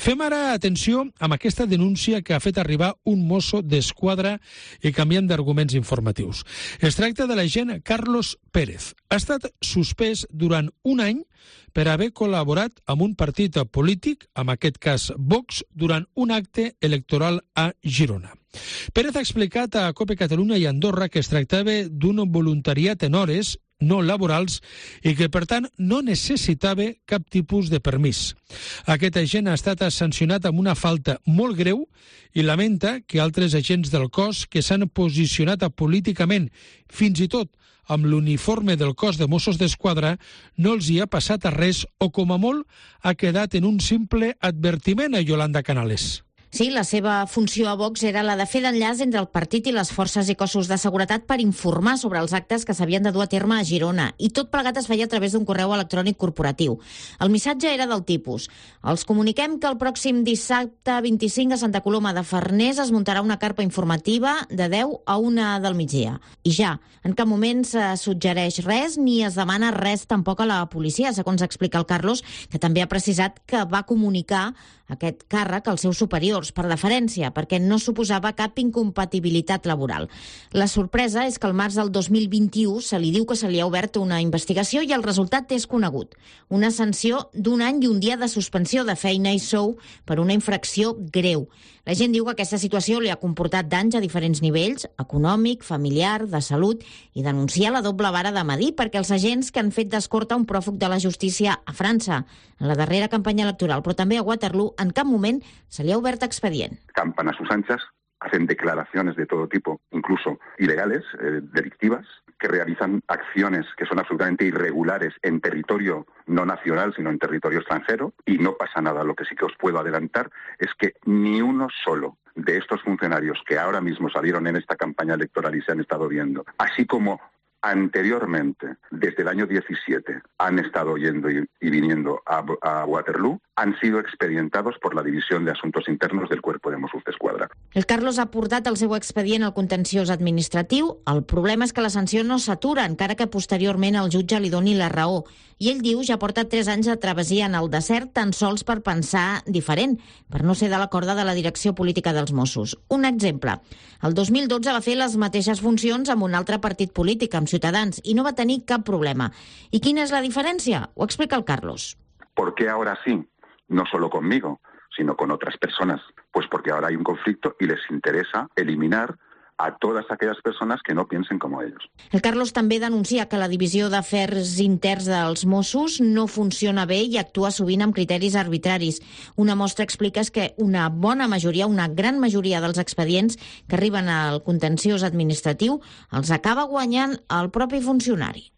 Fem ara atenció amb aquesta denúncia que ha fet arribar un mosso d'esquadra i canviant d'arguments informatius. Es tracta de l'agent Carlos Pérez. Ha estat suspès durant un any per haver col·laborat amb un partit polític, en aquest cas Vox, durant un acte electoral a Girona. Pérez ha explicat a COPE Catalunya i Andorra que es tractava d'un voluntariat en hores no laborals i que, per tant, no necessitava cap tipus de permís. Aquest agent ha estat sancionat amb una falta molt greu i lamenta que altres agents del cos que s'han posicionat políticament, fins i tot amb l'uniforme del cos de Mossos d'Esquadra, no els hi ha passat a res o, com a molt, ha quedat en un simple advertiment a Yolanda Canales. Sí, la seva funció a Vox era la de fer d'enllaç entre el partit i les forces i cossos de seguretat per informar sobre els actes que s'havien de dur a terme a Girona, i tot plegat es feia a través d'un correu electrònic corporatiu. El missatge era del tipus: els comuniquem que el pròxim dissabte 25 a Santa Coloma de Farners es muntarà una carpa informativa de 10 a 1 del migdia. I ja, en cap moment se suggereix res ni es demana res tampoc a la policia, segons explica el Carlos, que també ha precisat que va comunicar aquest càrrec als seus superiors per deferència, perquè no suposava cap incompatibilitat laboral. La sorpresa és que al març del 2021 se li diu que se li ha obert una investigació i el resultat és conegut. Una sanció d'un any i un dia de suspensió de feina i sou per una infracció greu. La gent diu que aquesta situació li ha comportat danys a diferents nivells, econòmic, familiar, de salut, i denuncia la doble vara de medir perquè els agents que han fet d'escorta un pròfug de la justícia a França en la darrera campanya electoral, però també a Waterloo, en cap moment se li ha obert expedient. Campan a sus anchas, hacen declaraciones de todo tipo, incluso ilegales, delictivas, que realizan acciones que son absolutamente irregulares en territorio no nacional, sino en territorio extranjero, y no pasa nada. Lo que sí que os puedo adelantar es que ni uno solo de estos funcionarios que ahora mismo salieron en esta campaña electoral y se han estado viendo, así como anteriormente, desde el año 17, han estado yendo y viniendo a Waterloo, han sido expedientados por la División de Asuntos Internos del Cuerpo de Mossos d'Esquadra. El Carlos ha portat el seu expedient al contenciós administratiu. El problema és que la sanció no s'atura, encara que posteriorment el jutge li doni la raó. I ell diu ja porta 3 anys de travessia en el desert tan sols per pensar diferent, per no ser de la corda de la direcció política dels Mossos. Un exemple. El 2012 va fer les mateixes funcions amb un altre partit polític, amb Ciutadans, i no va tenir cap problema. I quina és la diferència? Ho explica el Carlos. ¿Por qué ahora sí? No solo conmigo, sino con otras personas. Pues porque ahora hay un conflicto y les interesa eliminar a todas aquellas personas que no piensen como ellos. El Carlos també denuncia que la divisió d'afers interns dels Mossos no funciona bé i actua sovint amb criteris arbitraris. Una mostra explica és que una bona majoria, una gran majoria dels expedients que arriben al contenciós administratiu els acaba guanyant el propi funcionari.